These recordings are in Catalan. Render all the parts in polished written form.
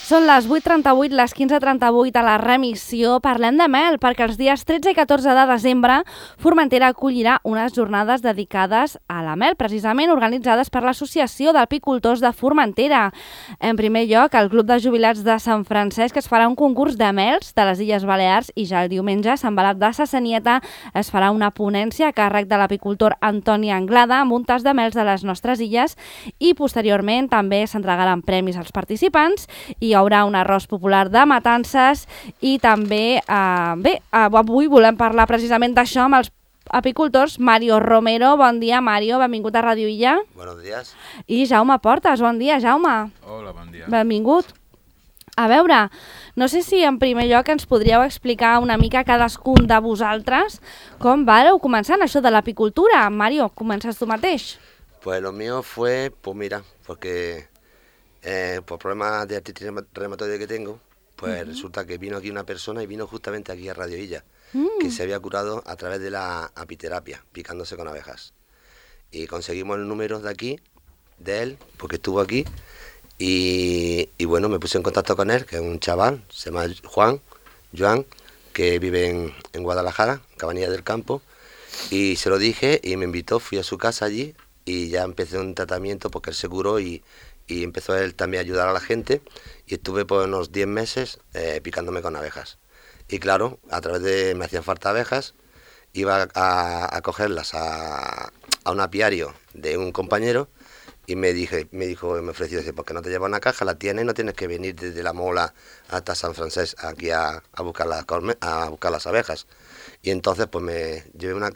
Són les 8:38, les 15:38 a la remissió. Parlem de mel, perquè els dies 13 i 14 de desembre Formentera acollirà unes jornades dedicades a la mel, precisament organitzades per l'Associació d'Apicultors de Formentera. En primer lloc, el Club de Jubilats de Sant Francesc es farà un concurs de mels de les Illes Balears i ja el diumenge a Sant Balat de Sassanieta es farà una ponència a càrrec de l'apicultor Antoni Anglada amb un tas de mels de les nostres illes i posteriorment també s'entregaran premis als participants i hi haurà un arròs popular de matances i també, avui volem parlar precisament d'això amb els apicultors. Mario Romero, bon dia, Mario, benvingut a Ràdio Illa. Buenos días. I Jaume Portes, bon dia, Jaume. Hola, bon dia. Benvingut. A veure, no sé si en primer lloc ens podríeu explicar una mica cadascun de vosaltres com vareu començar en això de l'apicultura. Mario, comences tu mateix. Pues lo mío fue, pues mira, porque por problemas de artritis reumatoide que tengo, pues resulta que vino aquí una persona y vino justamente aquí a Radio Illa, que se había curado a través de la apiterapia, picándose con abejas. Y conseguimos el número de aquí, de él, porque estuvo aquí, y bueno, me puse en contacto con él, que es un chaval, se llama Joan, que vive en Guadalajara, Cabanillas del Campo, y se lo dije y me invitó, fui a su casa allí y ya empecé un tratamiento porque él se curó y empezó él también a ayudar a la gente y estuve por unos 10 meses picándome con abejas. Y claro, a través de me hacían falta abejas, iba a cogerlas a un apiario de un compañero y me ofreció, dice, ¿por qué no te llevas una caja? La tienes y no tienes que venir desde La Mola hasta San Francesc aquí a buscar las abejas. Y entonces pues me llevé una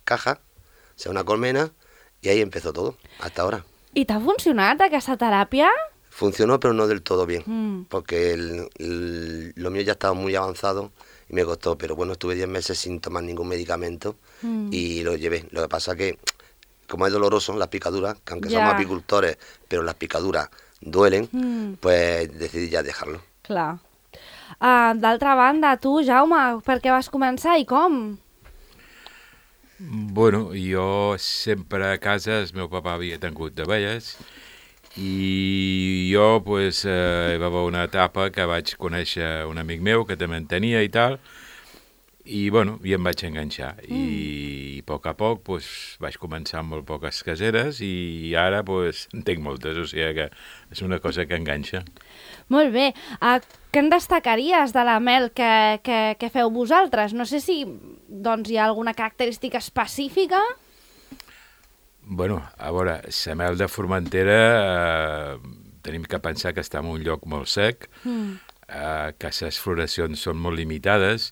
caja, o sea, una colmena, y ahí empezó todo, hasta ahora. I t'ha funcionat aquesta teràpia? Funcionó, pero no del todo bien, porque lo mío ya estaba muy avanzado y me costó, pero bueno, estuve 10 meses sin tomar ningún medicamento y lo llevé. Lo que pasa que, como es doloroso, las picaduras, que aunque somos apicultores, pero las picaduras duelen, pues decidí ya dejarlo. Clar. D'altra banda, tu, Jaume, per què vas començar i com? Bueno, jo sempre a casa, el meu papa havia tingut d'abelles i jo pues, hi va haver una etapa que vaig conèixer un amic meu que també en tenia i tal, i bueno, i em vaig enganxar i a poc pues, vaig començar amb molt poques caseres i ara pues, en tinc moltes, o sigui que és una cosa que enganxa. Molt bé. Què en destacaries de la mel que feu vosaltres? No sé si doncs, hi ha alguna característica específica? Bueno, a veure, la mel de Formentera tenim que pensar que està en un lloc molt sec, que les floracions són molt limitades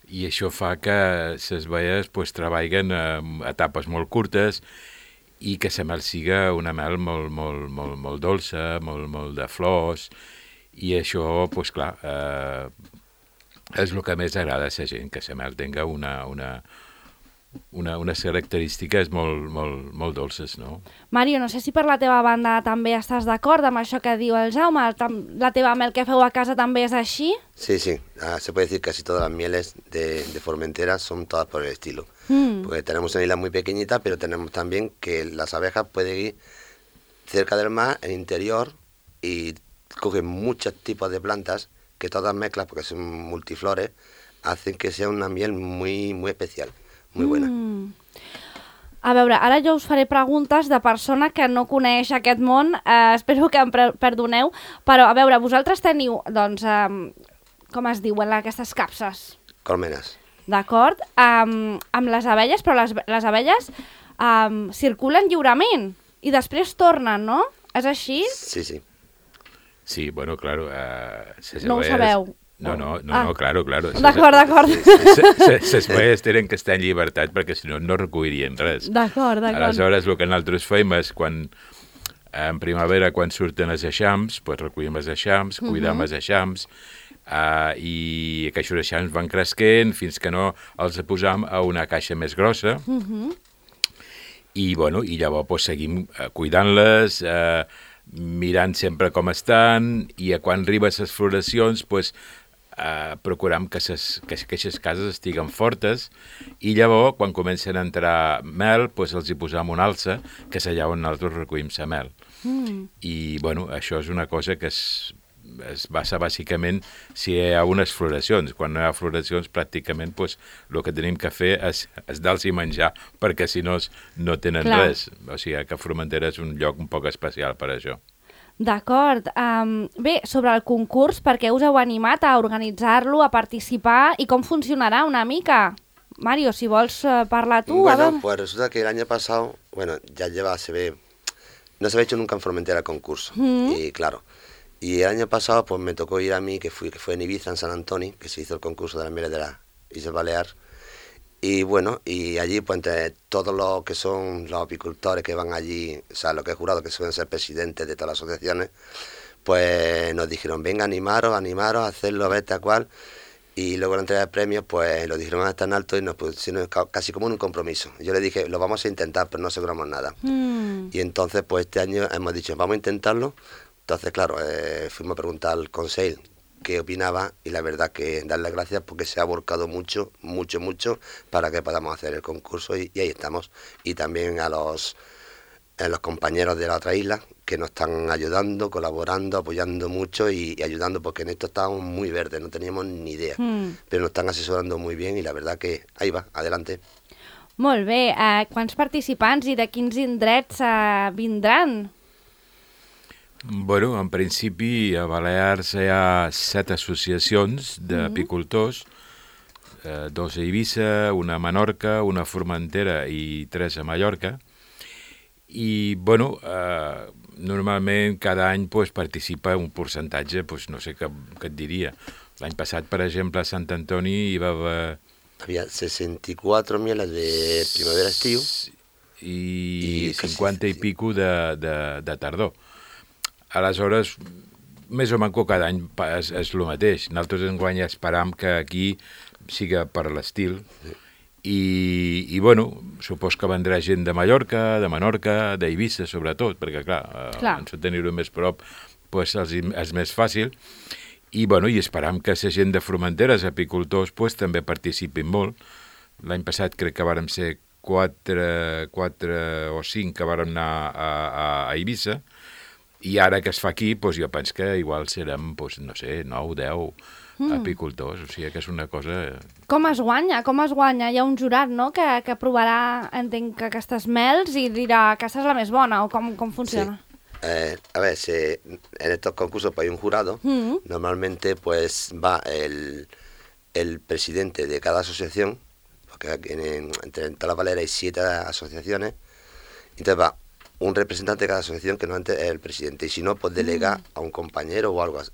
i això fa que les baies pues, treballen a etapes molt curtes i que la mel siga una mel molt dolça, molt de flors, i això, pues, clar, és el que més agrada a la gent, que la mel tinga unes característiques molt dolces, no? Mario, no sé si per la teva banda també estàs d'acord amb això que diu el Jaume, la teva mel que feu a casa també és així? Sí, se puede decir que casi todas las mieles de Formentera son todas por el estilo. Porque tenemos una isla muy pequeñita, pero tenemos también que las abejas pueden ir cerca del mar, en el interior, y cogen muchos tipos de plantas que todas mezclas, porque son multiflores, hacen que sea una miel muy especial, muy buena. A veure, ara jo us faré preguntes de persona que no coneix aquest món, espero que em perdoneu, però a veure, vosaltres teniu, doncs, com es diuen aquestes capses? Colmenas. D'acord? Amb les abelles, però les abelles circulen lliurement i després tornen, no? És així? Sí. Sí, bueno, claro. No ho sabeu. No, claro. D'acord. Les baies tenen que estar en llibertat perquè si no, no recollirien res. D'acord. Aleshores, el que nosaltres fem és en primavera, quan surten els eixams, pues recollim els eixams, cuidem els eixams, i aquests eixams van cresquent fins que no els posam a una caixa més grossa. I llavors pues, seguim cuidant-les, mirant sempre com estan, i quan arriben les floracions pues, procuram que aquestes cases estiguen fortes, i llavors quan comencen a entrar mel pues, els hi posam una alça, que és allà on nosaltres recollim la mel. I això és una cosa que és es basa bàsicament si hi ha unes floracions. Quan no hi ha floracions, pràcticament el que tenim que fer és dar-los menjar, perquè si no no tenen res. O sigui que Formentera és un lloc un poc especial per això. D'acord. Bé, sobre el concurs, per què us heu animat a organitzar-lo, a participar i com funcionarà una mica? Mario, si vols parlar tú. Bueno, pues resulta que el año pasado, ya no se había hecho nunca en Formentera el concurso. Y claro, y el año pasado pues me tocó ir a mí, que fue en Ibiza, en San Antonio, que se hizo el concurso de las mieles de las Islas Baleares. Y bueno, y allí pues entre todos los que son los apicultores que van allí, o sea, los que he jurado que suelen ser presidentes de todas las asociaciones, pues nos dijeron, venga, animaros, hacerlo, a ver tal cual. Y luego la entrega de premios, pues lo dijeron tan alto y nos pusieron casi como en un compromiso. Yo le dije, lo vamos a intentar, pero no aseguramos nada. Y entonces, pues este año hemos dicho, vamos a intentarlo. Entonces, claro, fuimos a preguntar al consejo qué opinaba y la verdad que darle gracias porque se ha volcado mucho para que podamos hacer el concurso y ahí estamos. Y también a los compañeros de la otra isla que nos están ayudando, colaborando, apoyando mucho y ayudando porque en esto estábamos muy verdes, no teníamos ni idea, pero nos están asesorando muy bien y la verdad que ahí va, adelante. Molt bé, quants participants i de quins indrets vindran? Bueno, en principi a Balears hi ha 7 associacions d'apicultors, 2 a Eivissa, una a Menorca, una a Formentera i 3 a Mallorca. I, bueno, normalment cada any participa un percentatge, no sé què et diria. L'any passat, per exemple, a Sant Antoni hi va haver... Había 64 mieles de primavera-estiu i 50 i pico de tardor. Aleshores, més o menys cada any és el mateix. Nosaltres enguany esperam que aquí siga per l'estil. I bueno, supos que vendrà gent de Mallorca, de Menorca, d'Eivissa, sobretot, perquè, clar. En tenir-ho més prop és més fàcil. I, bueno, i esperam que la gent de Formentera, els apicultors, també participin molt. L'any passat crec que vàrem ser 4 o 5 que vàrem anar a Eivissa, i ara que es fa aquí, jo penso que igual serem, no sé, 9, 10 apicultors, o sigui que és una cosa... Com es guanya? Hi ha un jurat, no?, que provarà, entenc, aquestes mels i dirà que aquesta és la més bona, o com funciona? Sí. A ver, en estos concursos hay un jurado, normalmente va el presidente de cada asociación, porque entre todas las Baleares hay 7 asociaciones, entonces va un representante de cada asociación que normalmente es el presidente, y si no, pues delega a un compañero o algo así,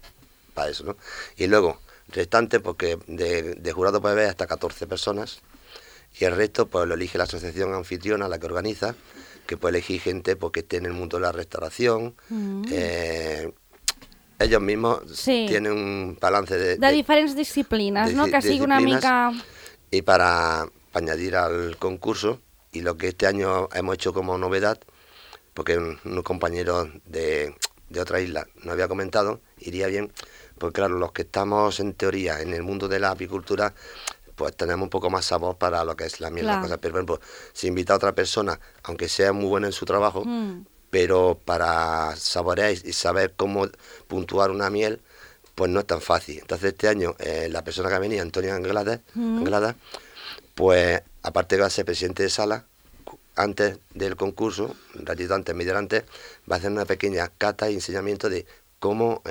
para eso, ¿no? Y luego, restante, porque de jurado puede haber hasta 14 personas, y el resto pues lo elige la asociación anfitriona, la que organiza, que puede elegir gente que esté en el mundo de la restauración. Ellos mismos tienen un balance de diferentes disciplinas, ¿no? Que sigui una mica... Y para añadir al concurso, y lo que este año hemos hecho como novedad, porque unos compañeros de otra isla nos había comentado, iría bien, pues claro, los que estamos en teoría en el mundo de la apicultura, pues tenemos un poco más sabor para lo que es la miel, las cosas. Pero por ejemplo, si invita a otra persona, aunque sea muy buena en su trabajo, pero para saborear y saber cómo puntuar una miel, pues no es tan fácil. Entonces este año la persona que ha venido, Antonio Anglada, pues aparte que va a ser presidente de sala, antes del concurso, un ratito antes, media hora antes, va a hacer una pequeña cata y enseñamiento de cómo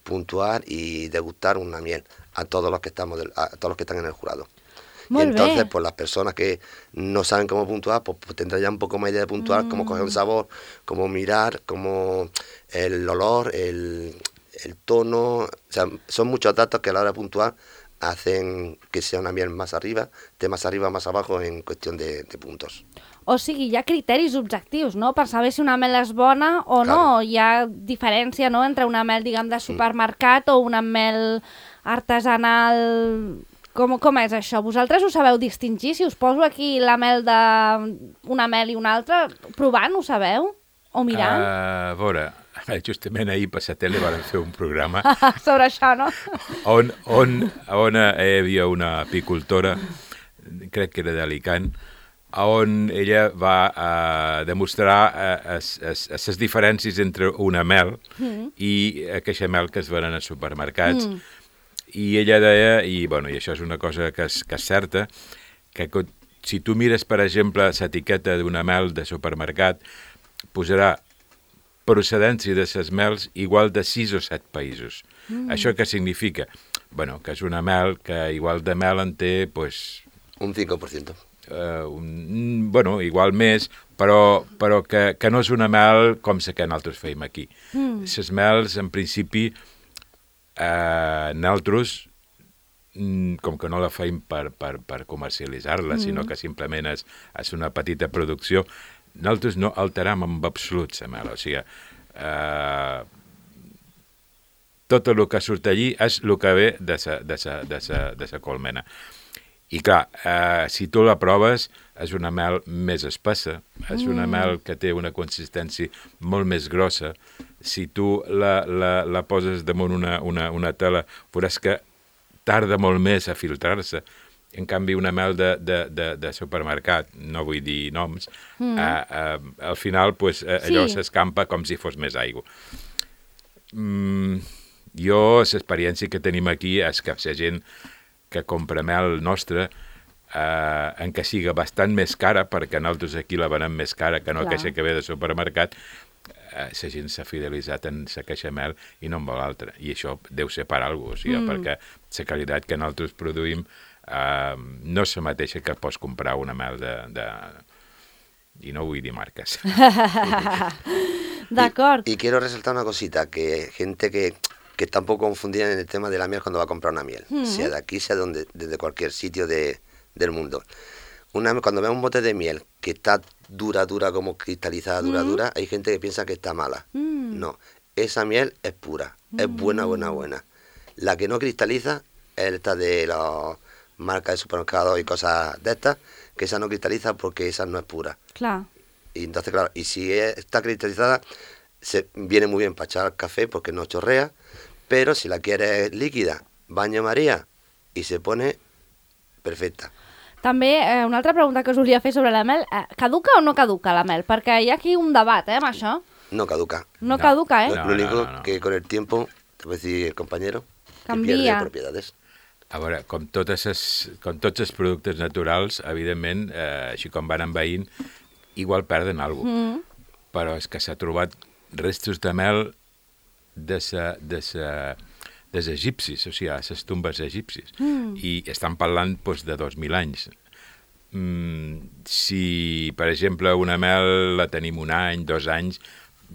puntuar y degustar una miel a todos los que están en el jurado. Molt y entonces, bé. pues las personas que no saben cómo puntuar, pues tendrán ya un poco más idea de puntuar, cómo coger un sabor, cómo mirar, cómo el olor, el tono. O sea, son muchos datos que a la hora de puntuar hacen que sea una miel más arriba, más abajo en cuestión de puntos. O sigui, hi ha criteris objectius, no?, per saber si una mel és bona o no. Hi ha diferència, no?, entre una mel, diguem, de supermercat o una mel artesanal. Com és això? Vosaltres ho sabeu distingir? Si us poso aquí la mel d'una mel i una altra, provant, ho sabeu? O mirant? A veure, justament ahir per la tele vam fer un programa sobre això, no? on hi havia una apicultora, crec que era d'Alicant, on ella va demostrar les diferències entre una mel i aquesta mel que es venen als supermercats. I ella deia, i això és una cosa que és certa, que si tu mires, per exemple, l'etiqueta d'una mel de supermercat, posarà procedència de les mels igual de 6 o 7 països. Això què significa? Que és una mel que igual de mel en té, pues... Un 5%. Igual més, però que no és una mel com la que nosaltres feim aquí. Les mels, en principi, nosaltres, com que no la feim per comercialitzar-la, sinó que simplement és una petita producció, nosaltres no alteram en absolut la mel. O sigui, tot el que surt allí és el que ve de la colmena. I clar, si tu la proves, és una mel més espessa, és una mel que té una consistència molt més grossa. Si tu la poses damunt una tela, veuràs que tarda molt més a filtrar-se. En canvi, una mel de supermercat, no vull dir noms, al final allò s'escampa com si fos més aigua. Jo, l'experiència que tenim aquí és que la gent que compra mel nostra, en què siga bastant més cara, perquè nosaltres aquí la venem més cara que no aquella que ve de supermercat, la gent s'ha fidelitzat en la queixa mel i no en vol altra. I això deu ser per alguna cosa, perquè la qualitat que nosaltres produïm no és la mateixa que pots comprar una mel i no vull dir marques. D'acord. Y quiero resaltar una cosita, que gente que está un poco confundida en el tema de la miel cuando va a comprar una miel, sea de aquí, sea desde cualquier sitio del mundo. Cuando ve un bote de miel que está dura, como cristalizada, dura, hay gente que piensa que está mala. No, esa miel es pura, es buena. La que no cristaliza es esta de las marcas de supermercados y cosas de estas, que esa no cristaliza porque esa no es pura. Claro. Y entonces, claro, y si está cristalizada, viene muy bien para echar café porque no chorrea, pero si la quieres líquida, baño María y se pone perfecta. També, una altra pregunta que us volia fer sobre la mel. Caduca o no caduca la mel? Perquè hi ha aquí un debat, amb això. No caduca. No caduca, No, lo único que con el tiempo, te puede decir el compañero, canvia. Que pierde propiedades. A veure, com tots els productes naturals, evidentment, així com van envaint, igual perden alguna cosa. Però és que s'ha trobat restos de mel dels egipcis, o sigui, les tombes egipcis. I estan parlant de 2.000 anys. Si, per exemple, una mel la tenim 1 any, 2 anys,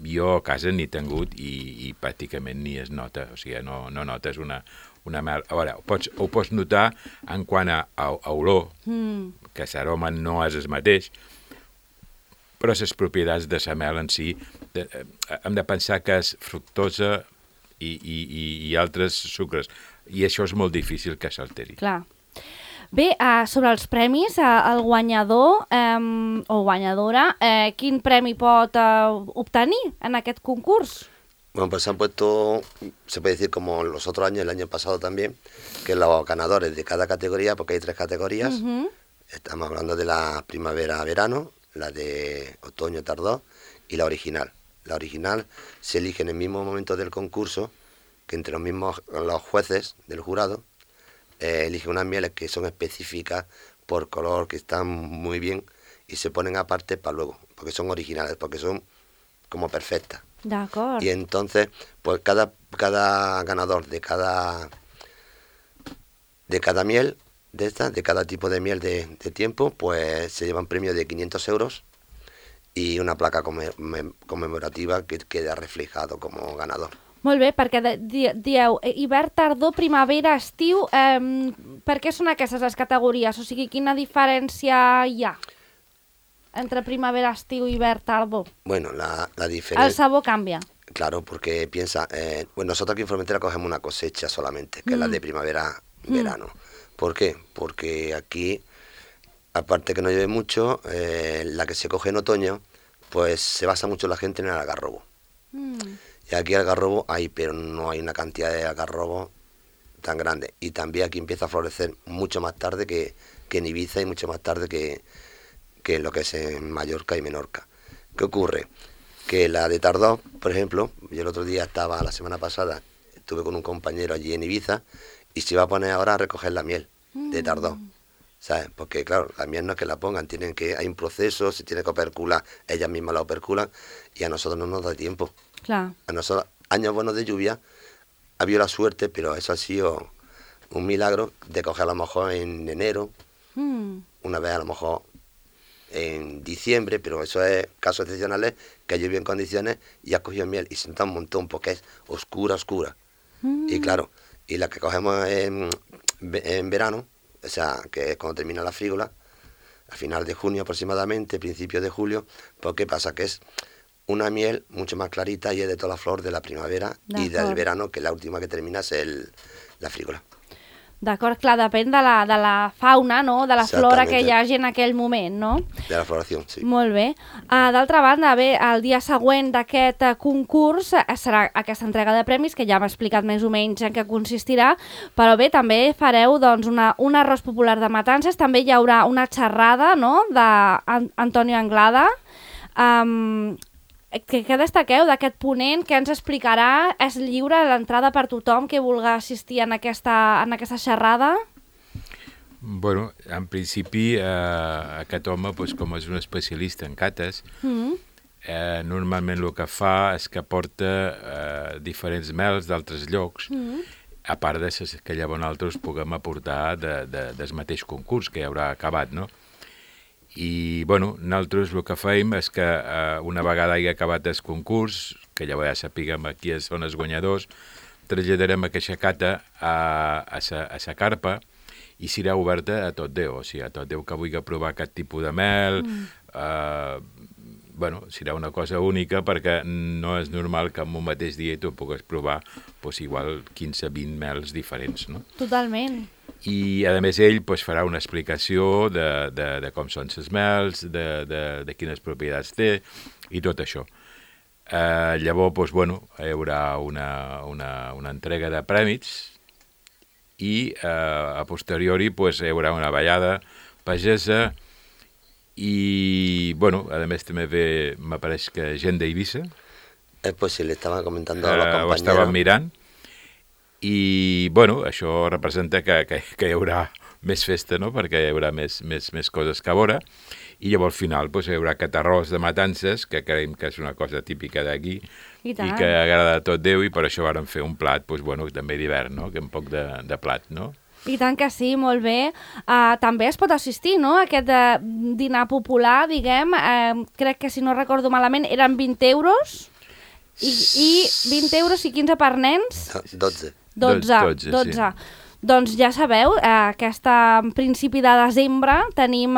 jo a casa n'he tingut i pràcticament ni es nota, o sigui, no notes una mel. A veure, ho pots notar en quant a olor, que l'aroma no és el mateix, però les propietats de la mel en si hem de pensar que és fructosa i altres sucres, i això és molt difícil que s'alteri. Clar. Bé, sobre els premis, el guanyador o guanyadora, quin premi pot obtenir en aquest concurs? Bueno, pues se han puesto, se puede decir como los otros años, el año pasado también, que los ganadores de cada categoría, porque hay 3 categorías, estamos hablando de la primavera-verano, la de otoño-tardor y la original. La original se elige en el mismo momento del concurso, que entre los jueces del jurado eligen unas mieles que son específicas por color, que están muy bien y se ponen aparte para luego, porque son originales, porque son como perfectas. D'acord. Y entonces, pues cada ganador de cada miel, de cada tipo de miel de tiempo, pues se lleva un premio de 500 euros y una placa conmemorativa que queda reflejado como ganador. Molt bé, perquè dieu hivern, tardor, primavera, estiu, per què són aquestes les categories? O sigui, quina diferència hi ha entre primavera, estiu, hivern, tardor? Bueno, la diferencia... El sabor canvia. Claro, porque piensa, bueno, nosotros aquí en Formentera cogemos una cosecha solamente, que es la de primavera-verano. ¿Por qué? Porque aquí, aparte que no llueve mucho, la que se coge en otoño, pues se basa mucho la gente en el algarrobo. Y aquí algarrobo hay, pero no hay una cantidad de algarrobo tan grande. Y también aquí empieza a florecer mucho más tarde que en Ibiza y mucho más tarde que que lo que es en Mallorca y Menorca. ¿Qué ocurre? Que la de Tardó, por ejemplo, yo el otro día la semana pasada, estuve con un compañero allí en Ibiza y se iba a poner ahora a recoger la miel de Tardó, ¿sabes? Porque claro, la miel no es que la pongan, hay un proceso, se tiene que opercular, ellas mismas la operculan y a nosotros no nos da tiempo. Clar. A nosotros, años buenos de lluvia, ha habido la suerte, pero eso ha sido un milagro de coger a lo mejor en enero, una vez a lo mejor en diciembre, pero eso es casos excepcionales que llovió en condiciones y has cogido miel y se nota un montón porque es oscura. Y claro, y la que cogemos en verano, o sea, que es cuando termina la frígola, a final de junio aproximadamente, principios de julio, pues ¿qué pasa? Que es una miel mucho más clarita y es de toda la flor de la primavera y del verano, que la última que termina es la frígola. D'acord, clar, depèn de la fauna, no?, de la flora que hi hagi en aquell moment, no? De la floració, sí. Molt bé. D'altra banda, bé, el dia següent d'aquest concurs serà aquesta entrega de premis, que ja m'ha explicat més o menys en què consistirà, però bé, també fareu doncs, un arròs popular de matances, també hi haurà una xerrada, no?, d'Antonio Anglada. Què destaqueu d'aquest ponent? Què ens explicarà? És lliure l'entrada per tothom que vulgui assistir en aquesta xerrada? Bueno, en principi aquest home, com és un especialista en cates, normalment el que fa és que porta diferents mels d'altres llocs, a part de que llavors nosaltres puguem aportar del mateix concurs que hi haurà acabat, no? I, bueno, nosaltres el que fem és que una vegada hi ha acabat el concurs, que llavors ja sapiguem qui són els guanyadors, traslladarem aquesta cata a la carpa i serà oberta a tot Déu, o sigui, a tot Déu que vulgui provar aquest tipus de mel, bueno, serà una cosa única perquè no és normal que en un mateix dia tu puguis provar igual 15-20 mels diferents, no? Totalment. I, a més, ell farà una explicació de com són els mels, de quines propietats té i tot això. Llavors, bueno, hi haurà una entrega de prèmits i a posteriori hi haurà una ballada pagesa i, bueno, a més també ve, m'apareix que gent d'Eivissa. Pues sí, le estaba comentando a los compañeros. Ho estaven mirant. I, bueno, això representa que hi haurà més festa, no?, perquè hi haurà més coses que a veure, i llavors al final hi haurà aquest arròs de matances, que creiem que és una cosa típica d'aquí, i que agrada a tot Déu, i per això vàrem fer un plat, bueno, també d'hivern, no?, que un poc de plat, no? I tant que sí, molt bé. També es pot assistir, no?, a aquest dinar popular, diguem, crec que si no recordo malament eren 20 euros, i 20 euros i 15 per nens? 12. Sí. Doncs ja sabeu, aquest principi de desembre tenim,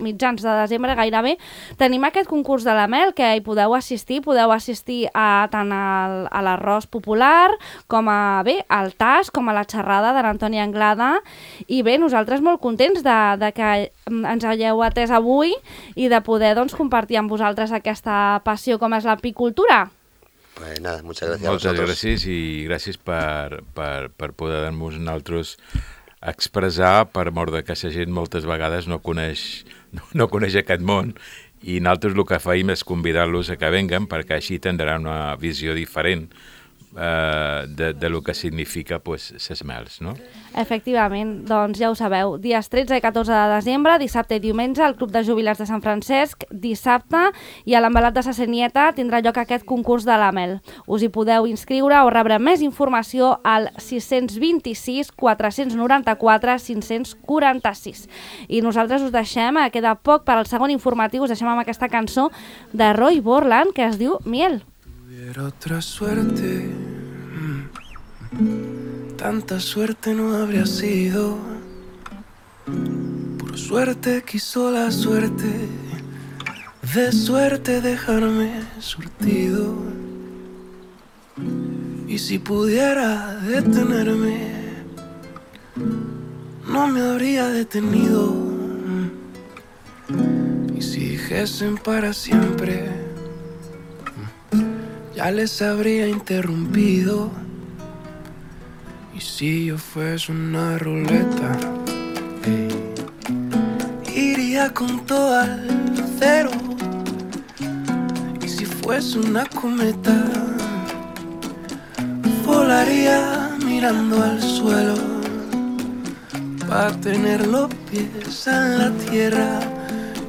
mitjans de desembre gairebé, tenim aquest concurs de la mel que hi podeu assistir tant a l'arròs popular com al tas, com a la xerrada de l'Antoni Anglada, i bé, nosaltres molt contents de que ens hagueu atès avui i de poder compartir amb vosaltres aquesta passió com és l'apicultura. Pues nada, muchas gracias a vosotros. Moltes gràcies i gràcies per poder-nos nosaltres expressar, per mort de que la gent moltes vegades no coneix aquest món, i nosaltres el que fem és convidar-los a que venguen perquè així tindran una visió diferent de lo que significa ses mels, no? Efectivament, doncs ja ho sabeu, dies 13 i 14 de desembre, dissabte i diumenge, al Club de Jubilats de Sant Francesc, dissabte, i a l'Envelat de sa Senieta tindrà lloc aquest concurs de la mel. Us hi podeu inscriure o rebre més informació al 626 494 546. I nosaltres us deixem, queda poc per al segon informatiu, us deixem amb aquesta cançó de Roy Borland que es diu Miel. Tuviera otra suerte, tanta suerte no habría sido. Por suerte quiso la suerte, de suerte dejarme surtido. Y si pudiera detenerme, no me habría detenido. Y si dijesen para siempre, ya les habría interrumpido. Y si yo fuese una ruleta, iría con todo al cero. Y si fuese una cometa, volaría mirando al suelo, para tener los pies en la tierra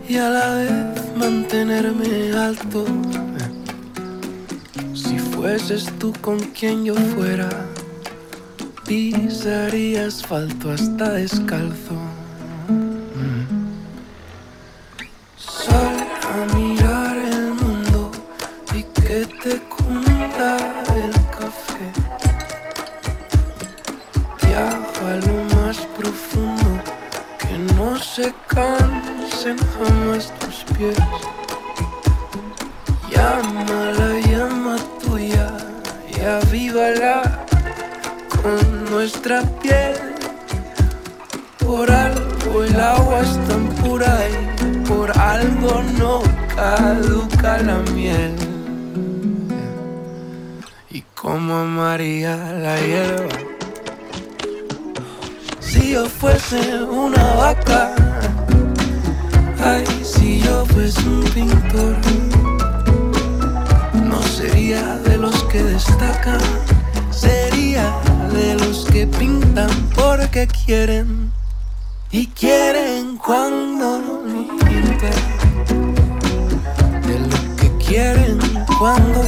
y a la vez mantenerme alto. Si fueses tú con quien yo fuera, pisaría asfalto hasta descalzo. Sal a mirar el mundo y que te cunda el café. Viaja a lo más profundo, que no se cansen jamás tus pies. Llama la llama tuya y avívala con nuestra piel. Por algo el agua es tan pura y por algo no caduca la miel. Y como amaría la hierba si yo fuese una vaca. Ay, si yo fuese un pintor, no sería de los que destacan, sería de los que pintan porque quieren. Y quieren cuando no pintan, de lo que quieren cuando